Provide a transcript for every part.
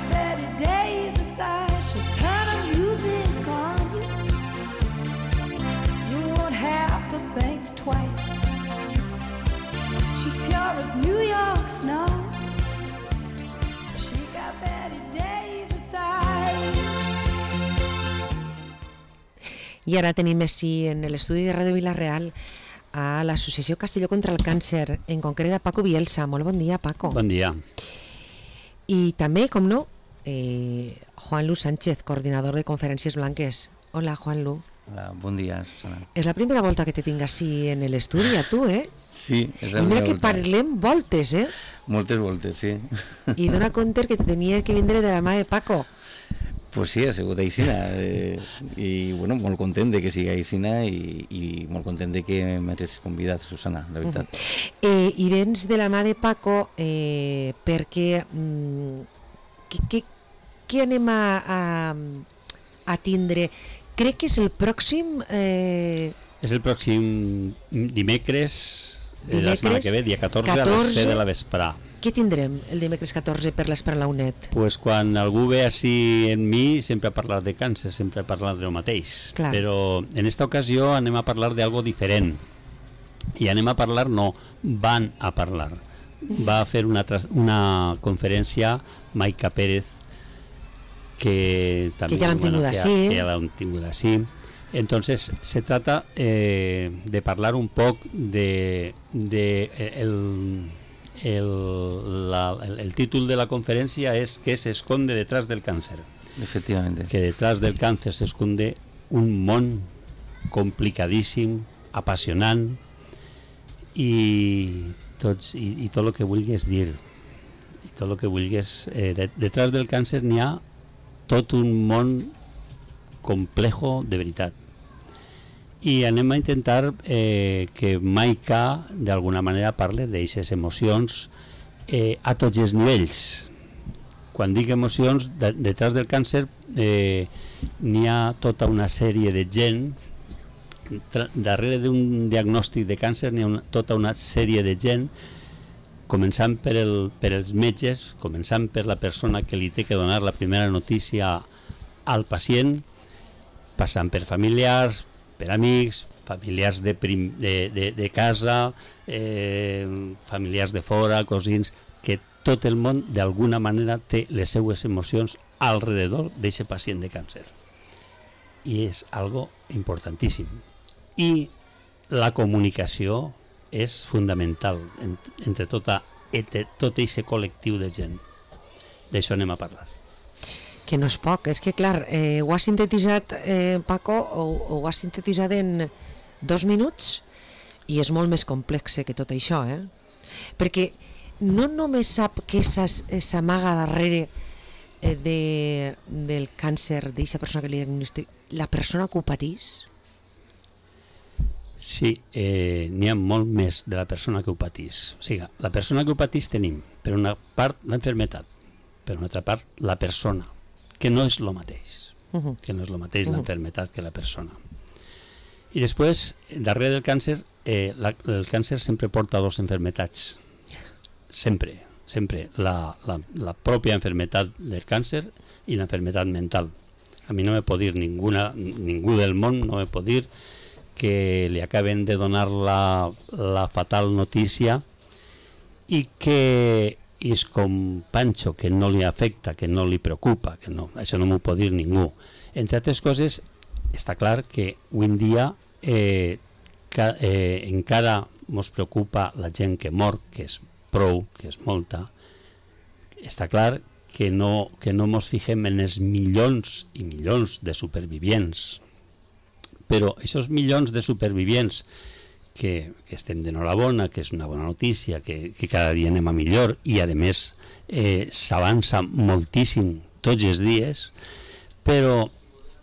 got Betty Davis eyes, she'll turn the music on you. You won't have to think twice. She's pure as New York snow. She got Betty Davis eyes. I ara tenim així en l'estudi de Ràdio Vila-real a l'Associació Castelló contra el Càncer, en concret a Paco Bielsa. Molt bon dia, Paco. Bon dia. I també, com no, Juanlu Sánchez, coordinador de Conferències Blanques. Hola, Juanlu. Hola, bon dia, Susana. És la primera volta que te tinc així en l'estudi, a tu, eh? Sí, és la I mira primera que volta. parlem voltes, eh? Moltes voltes, sí. I dona compte que te tenia que vindre de la mà de Paco. Pues sí, ha sigut aixina. I bueno, molt content de que sigui aixina i molt content de que m'hagis convidat, Susana, la veritat. I vens de la mà de Paco perquè què anem a tindre? Crec que és el pròxim... És el pròxim dimecres, la setmana que ve, dia 14, a les 7 de la vesprà. Què tindrem el dimecres 14 per l'Esper la UNED? Pues quan algú ve així en mi, sempre ha parlat de càncer, sempre ha parlat del mateix. Clar. Però en esta ocasió anem a parlar d'algo diferent. I anem a parlar, no, van a parlar. Va a fer una conferència Maica Pérez, que també, que ja l'hem tingut així. Que ja l'hem tingut així. Entonces se trata de parlar un poc el títol de la conferència és ¿Qué se esconde detrás del cáncer? Efectivamente. Que detrás del cáncer se esconde un món complicadíssim, apassionant i tot el que vulguis dir. I tot el que vulguis. Detrás del càncer n'hi ha tot un món complejo de veritat. I anem a intentar que Maica d'alguna manera parle d'aixes emocions a tots els nivells. Quan dic emocions, detrás del càncer n'hi ha tota una sèrie de gent, darrere d'un diagnòstic de càncer n'hi ha tota una sèrie de gent, començant per els metges, començant per la persona que li té que donar la primera notícia al pacient, passant per familiars, per amics, familiars de casa, familiars de fora, cosins, que tot el món d'alguna manera té les seues emocions alrededor d'aquest pacient de càncer. I és algo importantíssim. I la comunicació és fundamental entre tot aquest col·lectiu de gent. D'això anem a parlar. Que no és poc, és que clar, ho has sintetitzat, Paco, ho has sintetitzat en 2 minuts i és molt més complex que tot això, perquè no només sap què s'amaga darrere del càncer d'aquesta persona que li diagnostica, la persona que ho patís? Sí, n'hi ha molt més de la persona que ho patís. O sigui, la persona que ho patís tenim, per una part, l'enfermetat, per una altra part, la persona, que no és el mateix, que no és el mateix l'enfermetat que la persona. I després, darrere del càncer, el càncer sempre porta 2 enfermetats, sempre, la pròpia enfermetat del càncer i l'enfermetat mental. A mi no me pot dir ningú del món, no me pot dir que li acaben de donar la fatal notícia i que és com Pancho, que no li afecta, que no li preocupa, que no, això no m'ho pot dir ningú. Entre altres coses, està clar que avui en dia encara ens preocupa la gent que mor, que és prou, que és molta. Està clar que no ens fixem en els milions i milions de supervivients, però aquests milions de supervivients que estem d'enhorabona, que és una bona notícia, que cada dia anem a millor i a més s'avança moltíssim tots els dies, però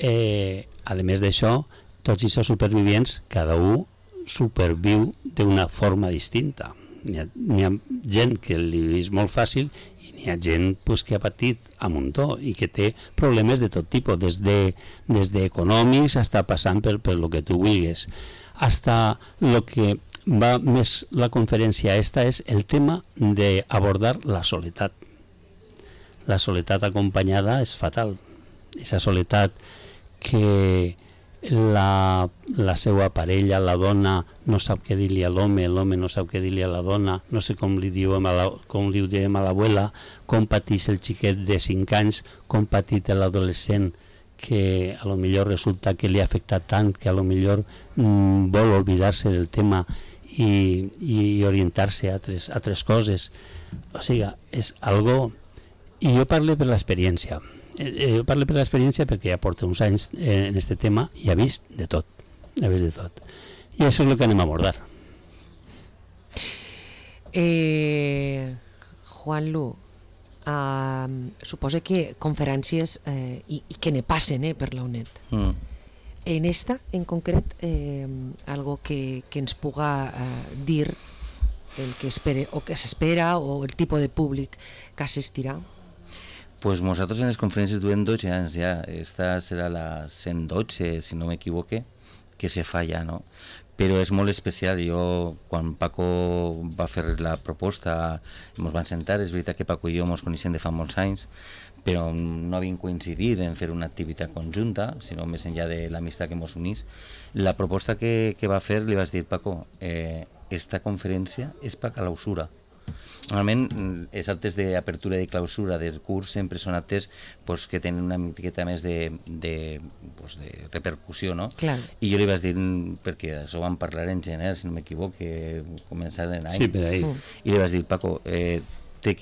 a més d'això, tots aquests supervivients, cada un superviu d'una forma distinta. N'hi ha gent que li és molt fàcil i n'hi ha gent que ha patit a muntó i que té problemes de tot tipus, des d'econòmics fins passant per el que tu vulguis. Hasta lo que va més la conferència esta és el tema d'abordar la soledat. la soledat acompanyada és fatal. Esa soledat que la seva parella, la dona, no sap què dir-li a l'home, l'home no sap què dir-li a la dona, no sé com li diem a l'abuela, com pateix el xiquet de 5 anys, com pateix l'adolescent, que a lo millor resulta que li ha afectat tant que a lo millor vol oblidar-se del tema i orientar-se a altres coses. O sigui, és algo... I jo parlo per l'experiència. Jo parlo per l'experiència perquè ja porto uns anys en este tema i he vist de tot. I això és el que anem a abordar. Juanlu, suposa que conferències i que ne passen per la UNED. En esta, en concret, algo que ens puga dir el que espere o que s'espera o el tipus de públic que assistirà? Pues nosaltres en les conferències duem 12 anys ja. Esta serà la 112, si no m'equivoque, que se fa ja, no? Però és molt especial. Jo, quan Paco va fer la proposta, ens van sentar. És veritat que Paco i jo ens coneixem de fa molts anys, però no havíem coincidit en fer una activitat conjunta, sinó més enllà de l'amistat que ens unís. La proposta que va fer, li vas dir, Paco, esta conferència és per clausura. Normalment els actes d'apertura i de clausura del curs sempre són actes que tenen una miqueta més de repercussió, no? Clar. I jo li vaig dir, perquè això vam parlar en gener, si no m'equivoque, començar l'any. Sí, per ahí. I li vaig dir, Paco, té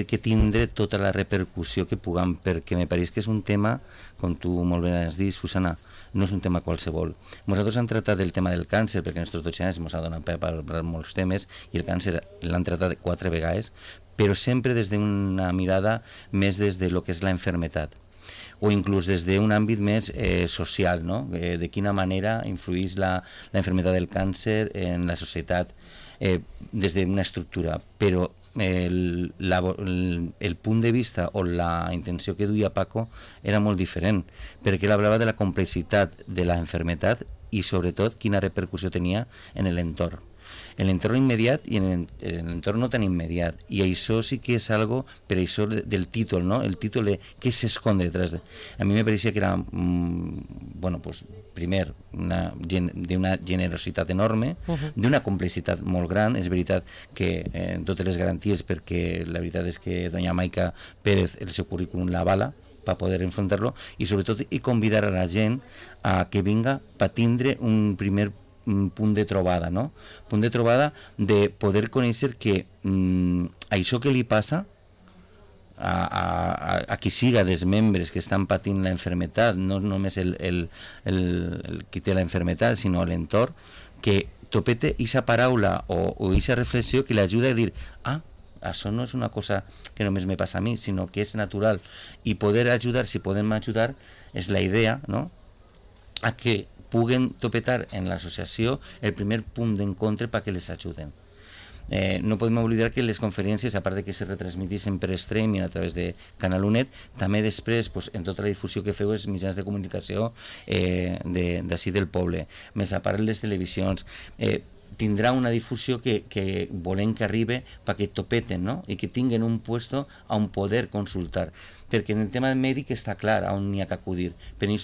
que tindre tota la repercussió que puguem, perquè me pareix que és un tema, com tu molt bé has dit, Susana, no és un tema qualsevol. Nosaltres hem tractat el tema del càncer, perquè en aquests 12 anys ens ha donat per parlar molts temes, i el càncer l'han tractat 4 vegades, però sempre des d'una mirada més des de lo que és la enfermetat, o inclús des d'un àmbit més social, no? De quina manera influeix la enfermetat del càncer en la societat, des d'una estructura, però el punt de vista o la intenció que duia Paco era molt diferent, perquè ell parlava de la complexitat de la enfermetat i sobretot quina repercussió tenia en l'entorn. En l'entorn immediat i en l'entorn no tan immediat, i això sí que és algo, per això del títol, no? El títol de què s'esconde detrás de... A mi me pareixia que era, primer, d'una generositat enorme, d'una complexitat molt gran. És veritat que totes les garanties, perquè la veritat és que doña Maica Pérez el seu currículum l'avala per poder enfrontar-lo, i sobretot i convidar a la gent a que vinga per tindre un primer punt de trobada, no? Punt de trobada de poder conèixer que això que li passa a qui siga dels membres que estan patint la enfermetat, no només el qui té la enfermetat, sinó l'entorn, que topete aquesta paraula o aquesta reflexió que l'ajuda a dir, això no és una cosa que només me passa a mi, sinó que és natural, i poder ajudar, si podem ajudar, és la idea, no?, a que puguen topetar en l'associació el primer punt d'encontre perquè les ajuden. No podem oblidar que les conferències, a part de que se retransmiteixen per streaming a través de Canal UNED, també després, en tota la difusió que feu els mitjans de comunicació d'ací del poble, més a part les televisions, tindrà una difusió que volem que arribi perquè topeten, no? I que tinguen un puesto on poder consultar, perquè en el tema mèdic està clar on n'hi ha que acudir, però en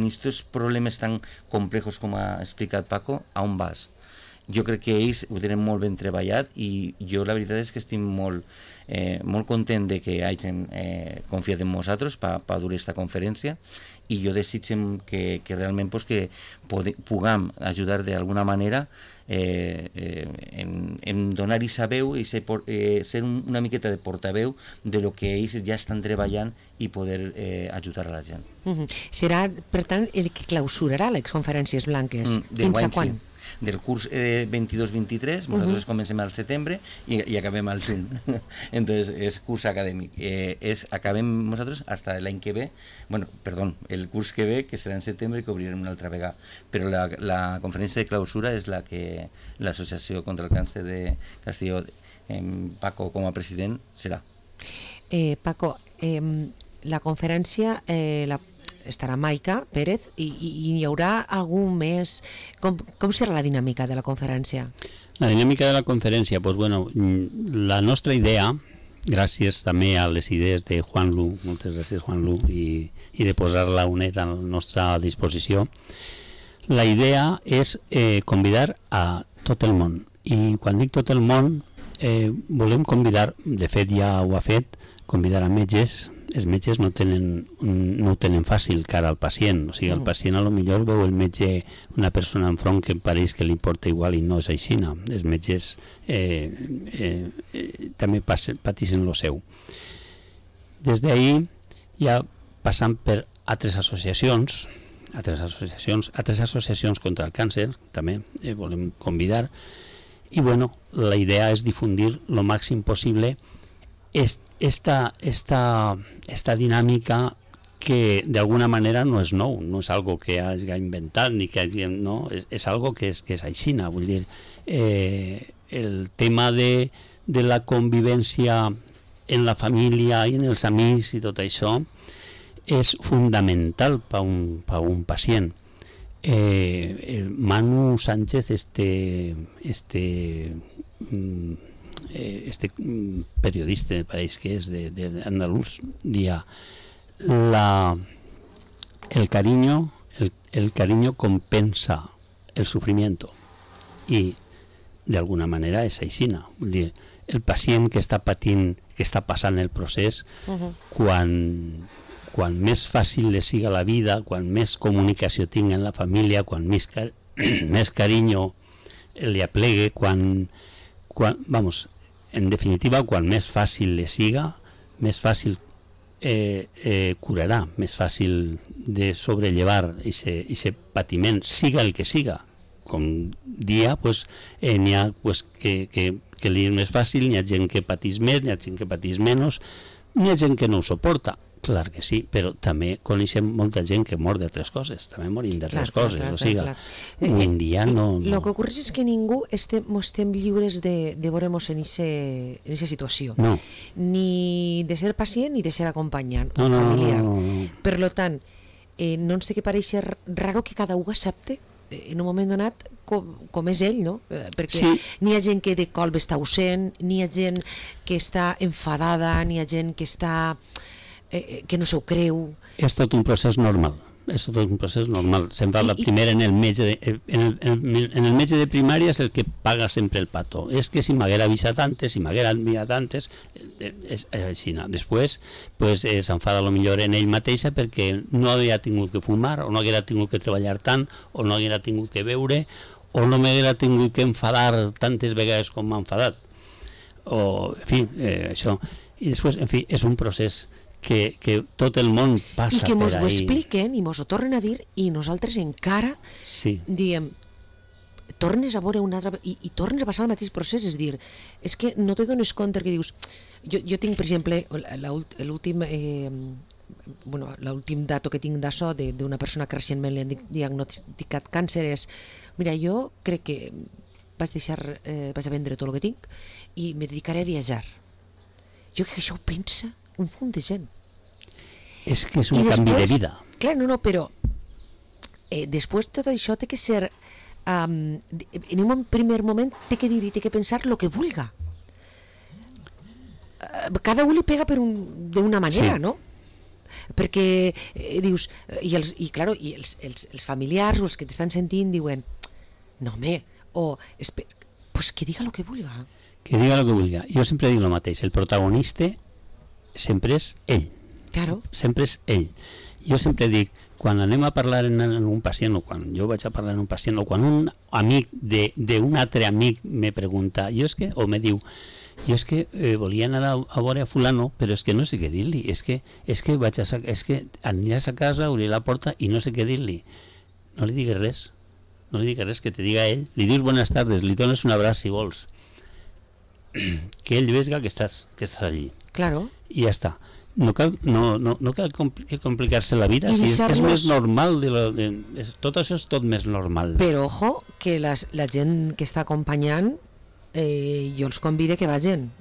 aquests problemes tan complexos com ha explicat Paco, on vas? Jo crec que ells ho tenen molt ben treballat, i jo la veritat és que estic molt content de que hagin confiat en nosaltres per dur aquesta conferència, i jo desitgem que realment que puguem ajudar d'alguna manera en donar aquesta veu i ser una miqueta de portaveu de lo que ells ja estan treballant i poder ajudar a la gent. Serà, per tant, el que clausurarà les conferències blanques. Fins a quan? Del curs 22-23, nosaltres comencem al setembre i acabem al juny. Entonces és curs acadèmic. Acabem nosaltres fins l'any que ve, el curs que ve, que serà en setembre, i que obrirem una altra vegada. Però la conferència de clausura és la que l'Associació contra el Càncer de Castelló, Paco com a president, serà. Paco, la conferència estarà Maica Pérez i hi haurà algun més... Com serà la dinàmica de la conferència? La dinàmica de la conferència, la nostra idea gràcies també a les idees de Juan Lu, moltes gràcies Juan Lu, i de posar la UNED a la nostra disposició. La idea és convidar a tot el món, i quan dic tot el món volem convidar, de fet ja ho ha fet, convidar a metges. Els metges no ho tenen fàcil cara al pacient, o sigui, el pacient a lo millor veu el metge una persona enfront que pareix que li importa igual i no és així. Els metges també pateixen lo seu. Des d'ahir ja passant per altres associacions contra el càncer també volem convidar, i bueno, la idea és difundir lo màxim possible esta dinàmica que de alguna manera no és nou, no és algo que hagi inventat ni que no, és algo que és aixina, vull dir, el tema de la convivència en la família i en els amics i tot això és fundamental per un pacient. El Manu Sánchez, periodista, me parece que es de andaluz, día el cariño compensa el sufrimiento, y de alguna manera és aixina. Vull dir, el pacient que està patint, que està passant el procés, quan més fàcil li siga la vida, quan més comunicació tinga en la família, quan més carinyo li aplegue, en definitiva, quan més fàcil li siga, més fàcil curarà, més fàcil de sobrellevar aquest patiment, siga el que siga. Com dia, n'hi ha que li és més fàcil, n'hi ha gent que patís més, n'hi ha gent que patís menys, n'hi ha gent que no ho suporta. Clar que sí, però també coneixem molta gent que mor d'altres coses, també morim d'altres coses, o sigui, avui en dia no... El que ocorre és que ningú estem lliures de veure'ns en aquesta situació, ni de ser pacient ni de ser acompanyant o familiar. Per tant, no ens té que parèixer raro que cada un accepte en un moment donat com és ell, no? Perquè n'hi ha gent que de colp està ausent, n'hi ha gent que està enfadada, n'hi ha gent que està... que no s'ho creu. És tot un procés normal. Se'n va la primera en el metge de primària, és el que paga sempre el pato. És que si m'haguera avisat antes, és així. Després s'enfada millor en ell mateixa perquè no havia tingut que fumar, o no haguera tingut que treballar tant, o no haguera tingut que beure, o no m'haguera tingut que enfadar tantes vegades com m'ha enfadat. O, en fi, això. I després, en fi, és un procés que tot el món passa per ahí. I que mos ho expliquen i mos ho tornen a dir, i nosaltres encara diem, tornes a veure una altra... I tornes a passar el mateix procés, és dir, és que no te dones compte que dius... Jo tinc, per exemple, l'últim dato que tinc d'això d'una persona que recentment li han diagnosticat càncer és, mira, jo crec que vaig a vendre tot el que tinc i me dedicaré a viatjar. Jo crec que això ho pensa un munt de gent. És que és un canvi de vida. Clar, però després tot això té que ser en un primer moment té que dir i té que pensar el que vulga. Cada un li pega d'una manera, no? Perquè dius, i els familiars o els que t'estan sentint diuen, no home, pues que diga el que vulga. Que diga el que vulga. Jo sempre dic el mateix, el protagonista sempre és ell. Claro. Sempre és ell. Jo sempre dic, quan anem a parlar en un pacient, o quan jo vaig a parlar en un pacient, o quan un amic d'un altre amic me pregunta, o me diu, jo és que volia anar a veure a fulano, però és que no sé què dir-li, és que aniràs a casa, obrir la porta i no sé què dir-li. No li digues res, que te diga ell, li dius buenas tardes, li dones un abraç si vols, que ell vega que estàs allí. Claro. I ja està. No cal complicar-se la vida, és més normal, tot això és tot més normal. Però ojo, que la gent que està acompanyant jo els convido que vagin,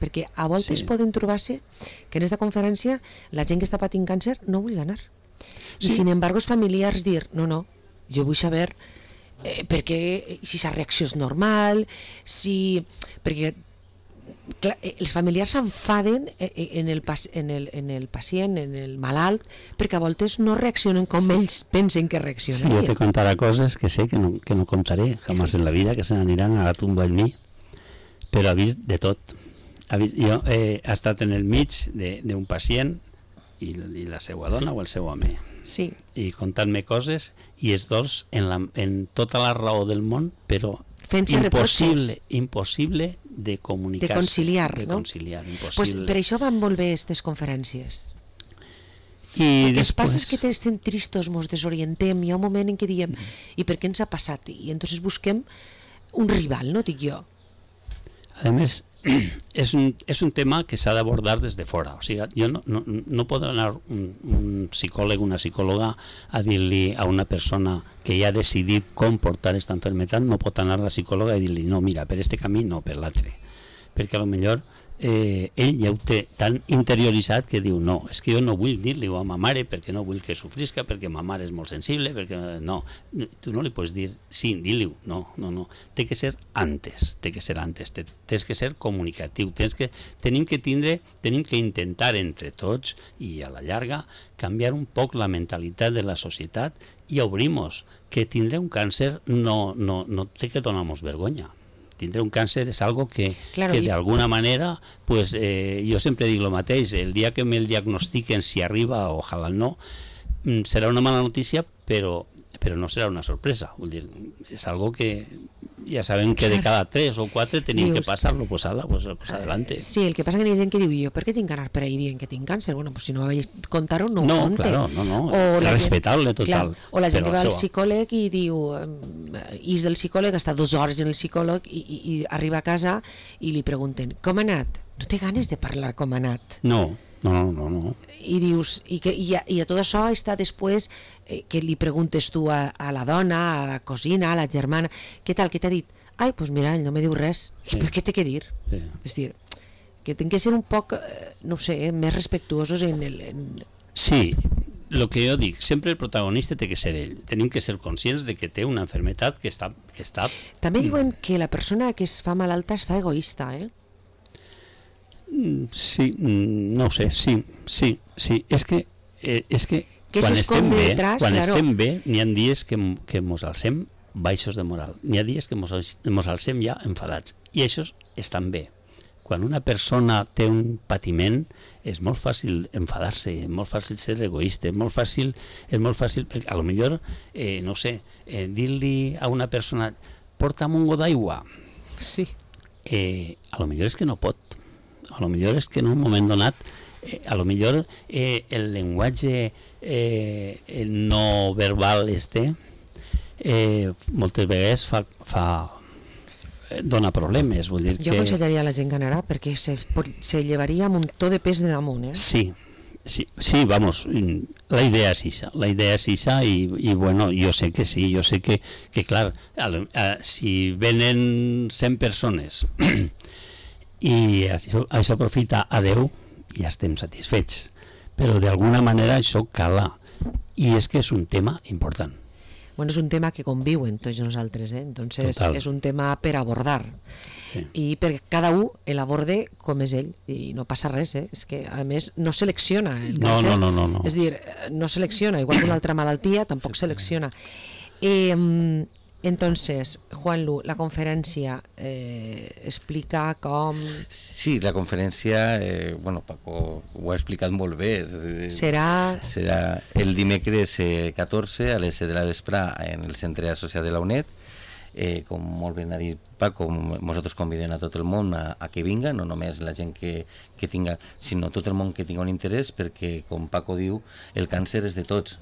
perquè a voltes poden trobar-se que en aquesta conferència la gent que està patint càncer no vulgui anar, i sin embargo els familiars dir, no, jo vull saber perquè si la reacció és normal, perquè clar, els familiars s'enfaden en el pacient, en el malalt, perquè a voltes no reaccionen com ells pensen que Sí, reaccionarien. yo te contaré cosas que sé que no contaré jamás en la vida, que se n'aniran a la tumba en mi, però ha vist de tot. Jo he estat en el mig d'un pacient i la seva dona o el seu home, Sí, i contant-me coses, i els dos en tota la raó del món, però fent-se reproches. impossible de comunicar-se. De conciliar, de no? conciliar, Pues impossible. per això van molt bé aquestes conferències. I El que ens passa després... és que estem tristos, ens desorientem, hi ha un moment en què diem i per què ens ha passat? I entonces busquem un rival, no dic jo. A més, és un tema que s'ha d'abordar des de fora. O sigui, jo no pot anar un psicòleg, una psicòloga a dir-li a una persona que ja ha decidit com portar aquesta malaltia, no pot anar a la psicòloga i dir-li no, mira, per este camí no, per l'altre. Perquè a lo millor ell ja ho té tan interioritzat que diu no, és que jo no vull dir-li-ho a ma mare perquè no vull que sofrisca, perquè ma mare és molt sensible, perquè no, tu no li pots dir sí, dir-li-ho, no, té que ser antes, tens que ser comunicatiu, tenim que intentar entre tots i a la llarga canviar un poc la mentalitat de la societat i obrir-nos que tindre un càncer no té que donar-nos vergonya. Tindre un càncer és algo que d'alguna manera, pues, jo sempre dic el mateix, el dia que me'l diagnostiquen, si arriba, ojalà no, serà una mala notícia, però no serà una sorpresa. Vull dir, és algo que ja sabem que de cada 3 o 4 tenim que passar-lo, pues ala, pues adelante. Sí, el que passa que hi ha gent que diu jo, per què tinc que anar per ahir dient que tinc càncer? Bueno, pues si no vaig contar-ho, no ho conte. Claro, respetable total. O la gent que va al psicòleg i diu és del psicòleg, està 2 hores en el psicòleg i arriba a casa i li pregunten, com ha anat? No té ganes de parlar com ha anat. No. I dius, i a tot això està després que li preguntes tu a la dona, a la cosina, a la germana, què tal, què t'ha dit? Ai, doncs mira, ell no me diu res. Sí. Però què té que dir? Sí. És dir, que tinc que ser un poc, no sé, més respectuosos en el... Sí, el que jo dic, sempre el protagonista té que ser ell. Tenim que ser conscients de que té una malaltia que està... També diuen que la persona que es fa malalta es fa egoista, Sí, no ho sé, sí. És que quan estem bé, n'hi ha dies que mos alcem baixos de moral, n'hi ha dies que mos alcem ja enfadats, i això estan bé. Quan una persona té un patiment és molt fàcil enfadar-se, és molt fàcil ser egoista, és molt fàcil perquè a lo millor, no sé, dir-li a una persona porta'm un got d'aigua, sí. A lo millor és que no pot. A lo millor és que en un moment donat a lo millor el llenguatge no verbal moltes vegades dona problemes, vull dir jo aconsellaria a la gent que anarà perquè se llevaria un muntó de pes de damunt, Sí, vamos, la idea és esa i bueno, jo sé que sí, jo sé que clar, si venen 100 persones i això aprofita a 10 i ja estem satisfets, però d'alguna manera això cala i és que és un tema important. Bueno, és un tema que conviuen tots nosaltres, entonces Total. És un tema per abordar i perquè cada un l'aborde com és ell i no passa res, és que a més no selecciona el càncer, no. és dir, no selecciona, igual que una altra malaltia tampoc selecciona. Entonces, Juanlu, la conferència explica com... Sí, la conferència, bueno, Paco ho ha explicat molt bé. Serà el dimecres 14 a les 7 de la vespre en el centre associat de la UNED. Com molt ben ha dit Paco, nosaltres convidem a tot el món a que vinga, no només la gent que tinga, sinó tot el món que tinga un interès, perquè, com Paco diu, el càncer és de tots,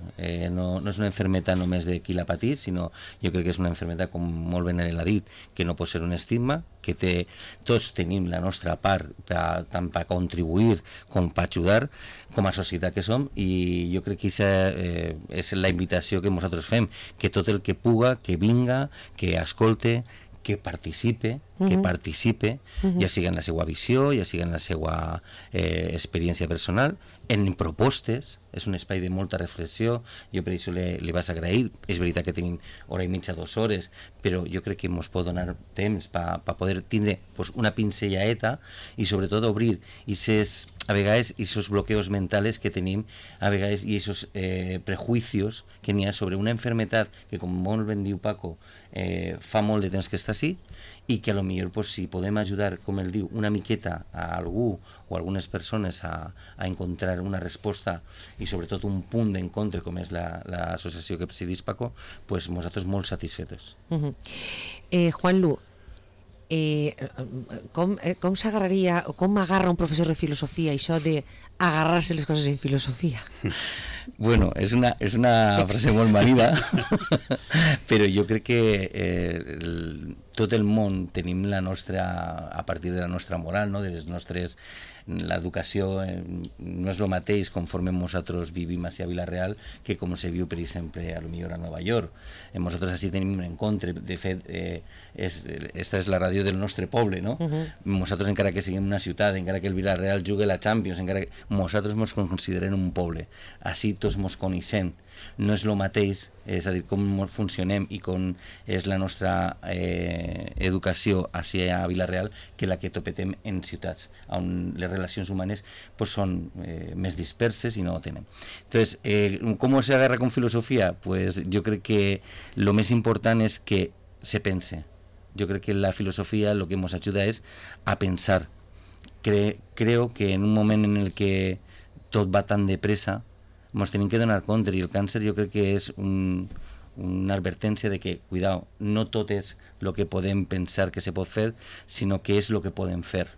no és una malaltia només de qui l'ha patit, sinó jo crec que és una malaltia, com molt ben ell ha dit, que no pot ser un estigma, que tots tenim la nostra part tant per contribuir com per ajudar com a societat que som, i jo crec que és la invitació que nosaltres fem, que tot el que puga, que vinga, que escolte, que participe, ja sigui en la seva visió, ja sigui en la seva experiència personal, en propostes. És un espai de molta reflexió. Jo per això li vas agrair. És veritat que tenim hora i mitja, 2 hores, però jo crec que ens pot donar temps per poder tindre una pincellaeta i sobretot obrir a vegades esos bloqueos mentales que tenim a vegades i esos prejuicios que n'hi ha sobre una enfermedad que, com molt ben diu Paco, fa molt de temps que està així, i que a lo millor si podem ajudar, com ell diu, una miqueta a algú o a algunes persones a encontrar una resposta i sobretot un punt d'encontre com és l'associació que presidís Paco, pues nosaltres molt satisfetos. Juanlu, com s'agarraria o com agarra un professor de filosofia això de agarrar-se les coses en filosofia? Bueno, és una frase molt manida, però jo crec que tot el món tenim la nostra, a partir de la nostra moral, no? De les nostres, l'educació no és el mateix conforme nosaltres vivim a Vila-real que com se viu, per exemple, a lo millor a Nova York. Nosaltres així tenim un encontre, de fet, esta és la ràdio del nostre poble, no? Nosaltres, encara que siguem una ciutat, encara que el Vila-real jugui la Champions, encara que nosaltres ens considerem un poble, així tots ens coneixem. No és el mateix, és a dir, com funcionem i com és la nostra educació a Vila-real que la que topetem en ciutats, on les relacions humanes pues, són més disperses i no ho tenen. Entonces, ¿cómo se agarra con filosofía? Pues yo creo que lo más importante es que se pense. Yo creo que la filosofía lo que nos ayuda es a pensar. Creo que en un moment en el que tot va tan depressa, ens tenim que donar compte, i el càncer jo crec que és una advertència de que, cuidao, no tot és el que podem pensar que se pot fer, sinó que és el que podem fer.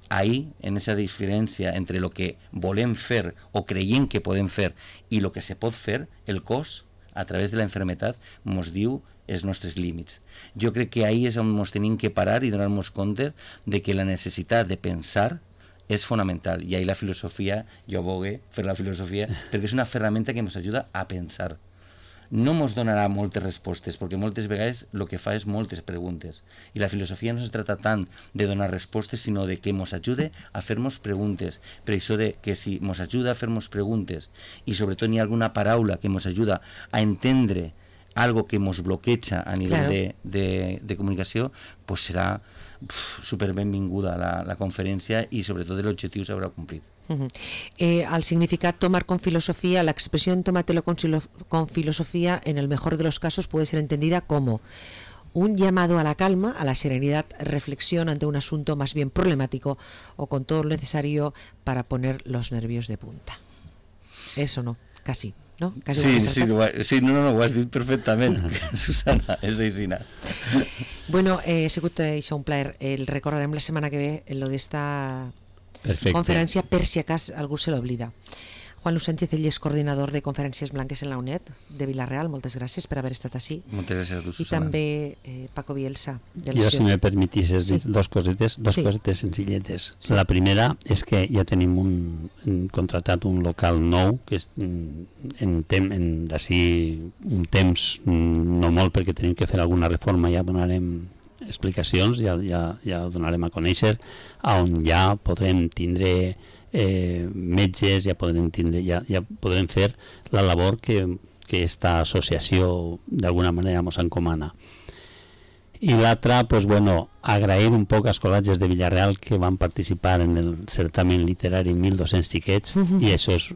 Ahí, en esa diferència entre el que volem fer o creiem que podem fer i el que se pot fer, el cos, a través de la enfermedad, ens diu els nostres límits. Jo crec que ahí és on ens tenim que parar i donar-nos compte de que la necessitat de pensar és fonamental, i ahí la filosofia, jo abogue fer la filosofia, perquè és una ferramenta que ens ajuda a pensar. No ens donarà moltes respostes, perquè moltes vegades el que fa és moltes preguntes, i la filosofia no es tracta tant de donar respostes, sinó de que ens ajude a fer-nos preguntes. Per això de que si ens ajuda a fer-nos preguntes, i sobretot hi ha alguna paraula que ens ajuda a entendre algo que ens bloqueja a nivell de comunicació, pues serà super benvinguda la conferència i sobretot l'objectiu s'haurà complit. Al significat tomar con filosofía, la expresión tómatelo con filosofía en el mejor de los casos puede ser entendida como un llamado a la calma, a la serenidad, reflexión ante un asunto más bien problemático o con todo lo necesario para poner los nervios de punta. Eso no, casi. No? Sí, no, ho has dit perfectament, Susana, és aixina. Bueno, ha sigut això un plaer. El recordarem la setmana que ve lo d'esta conferència, per si acas algú se l'oblida. Juanlu Sánchez, ell és coordinador de Conferències Blanques en la UNED de Vila-real. Moltes gràcies per haver estat així. Moltes gràcies a tu, Susana. I també Paco Bielsa. Jo, si me permetisses dir dos cosetes senzilletes. Sí. La primera és que ja tenim contratat un local nou, que és d'ací un temps, no molt, perquè tenim que fer alguna reforma, ja donarem explicacions, ja ho donarem a conèixer, on ja podrem tindre metges, ja podrem fer la labor que esta associació d'alguna manera ens encomana. I l'altra, pues bueno, agrair un poc als col·legis de Vila-real que van participar en el certamen literari 1.200 xiquets, i això és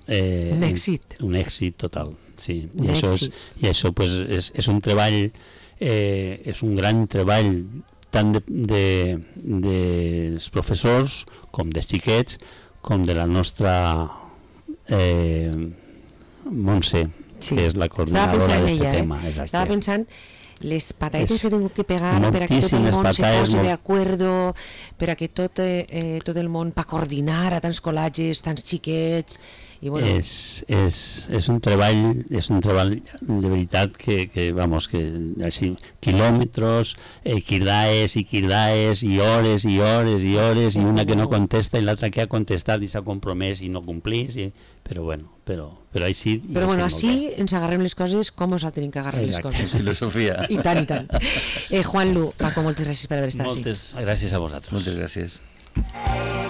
un èxit total, sí. I això pues, és un treball, és un gran treball tant dels professors com dels xiquets, com de la nostra Montse, que és la coordinadora d'aquest tema. Estava pensant les patates que tengo que pegar per a que tot el món se posi d'acord, per a que tot el món pa coordinar a tants col·legis, tants xiquets. I bueno, és un treball de veritat que vamos, que així, quilòmetres, quirdaes i hores i hores i hores, i una que no contesta i l'altra que ha contestat i s'ha compromès i no complís, però bueno, però així... Però bueno, així ens agarrem les coses com ens tenim que agarrar les coses. Filosofia. I tant, i tant. Juan Lu, Paco, moltes gràcies per haver estat així. Moltes gràcies a vosaltres. Moltes gràcies.